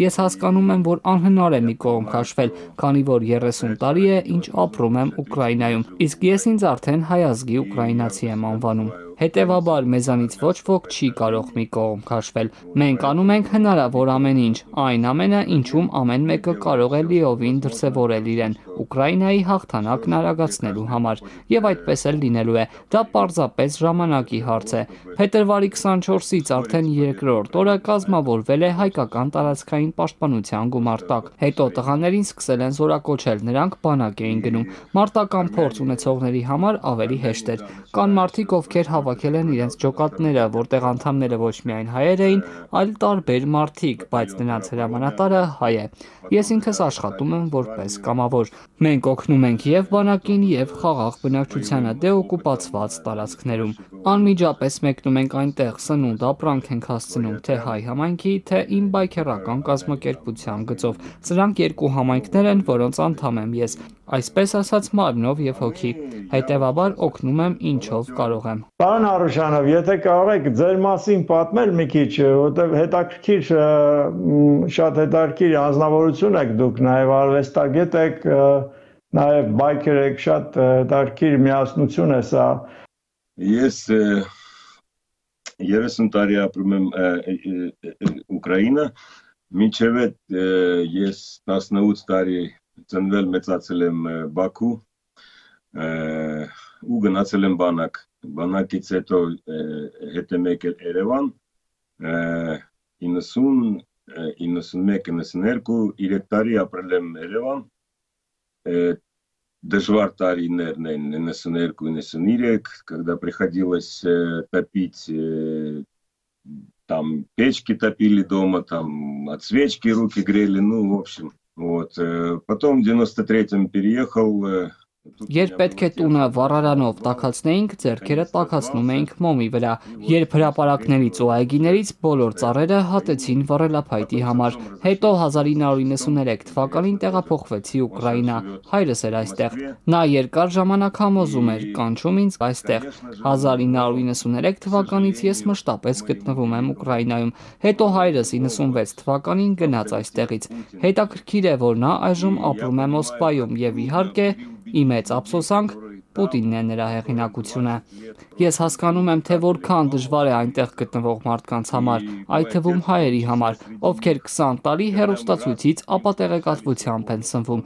Ես հասկանում եմ, որ անհնար է մի կողմ քաշվել, քանի որ 30 տարի է, ինչ ապրում եմ Ուկրաինայում, իսկ ես ինձ արդեն հայ ազգի ուկրաինացի եմ անվանում։ Հետևաբար մեզանից ոչ ոք չի կարող մի կողմ քաշվել։ Մենք անում ենք հնարավոր ամեն ինչ, այն ամենը, ինչում ամեն մեկը կարող է լիովին դրսևորել իրեն Ուկրաինայի հաղթանակն արագացնելու համար։ Եվ այդպես էլ լինելու է։ Դա պարզապես ժամանակի հարց է։ Փետրվարի 24-ից արդեն երկրորդ օրը կազմավորվել է հայկական տարածքային պաշտպանության գումարտակ։ Հետո տղաներին սկսել են զորակոչել, նրանք բանակ էին գնում։ Մարտական փորձ ունեցողների համար ավելի հեշտ էր։ Կան մարդիկ, ովքեր հավաքել են իրենց ջոկատները, որտեղ անդամները ոչ միայն հայեր էին, այլ տարբեր մարդիկ, բայց նրանց հրամանատարը հայ է։ Ես ինքս աշխատում եմ որպես կամավոր։ Մենք օգնում ենք և բանակին, և խաղաղ բնակչությանը դեօկուպացված տարածքներում։ Անմիջապես մեկնում ենք այնտեղ, սնունդ ապրանք ենք հասցնում թե հայ համայնքի, թե իմ բայքեռական կազմակերպության գծով։ Սրանք երկու համայնքներ են, որոնց անդամ եմ ես, այսպես ասած մարմնով և հոգի։ Հետևաբար օգնում եմ ինչով կարող եմ։ Պարոն Արուշանով, եթե կարող եք ձեր մասին պատմել մի քիչ, որտեղ հետաքրքիր, շատ հետաքրքիր անձնավորություն եք դուք, նաև արվեստագետ եք, նաև բայքեր եք, շատ հետաքրքիր միասնություն է սա։ Ես 30 տարի ապրում եմ Ուկրաինա, մինչև այդ ես 18 տարի ծնվել մեծացել եմ Բաքու ու գնացել եմ բանակ։ Բանակից հետո հետ եմ եկել Երևան 90, 91, 92, 3 տարի ապրել եմ Երևան, дождвар տարիներն են 92-93, когда приходилось топить, там печки топили дома, там от свечки руки грели, ну, в общем, вот. Потом в 93-м переехал. Երբ պետք է տունը վառարանով տաքացնեինք, ձեռքերը տաքացնում էինք մոմի վրա։ Երբ հրապարակներից ու այգիներից բոլոր ծառերը հատեցին վառելափայտի համար։ Հետո 1993 թվականին տեղափոխվեցի Ուկրաինա, հայրս էր այստեղ։ Նա երկար ժամանակ համոզում էր, կանչում ինձ այստեղ։ 1993 թվականից ես մշտապես գտնվում եմ Ուկրաինայում։ Հետո հայրս 96 թվականին գնաց այստեղից։ Հետաքրքիր է, որ նա այժմ ապրում է Մոսկվայում և իհարկե ի մեծ ափսոսանք Պուտինն է նրա հեղինակությունը։ Ես հասկանում եմ, թե որքան դժվար է այնտեղ գտնվող մարդկանց համար, այդ թվում հայերի համար, ովքեր 20 տարի հեռուստացույցից ապատեղեկատվությամբ են սնվում։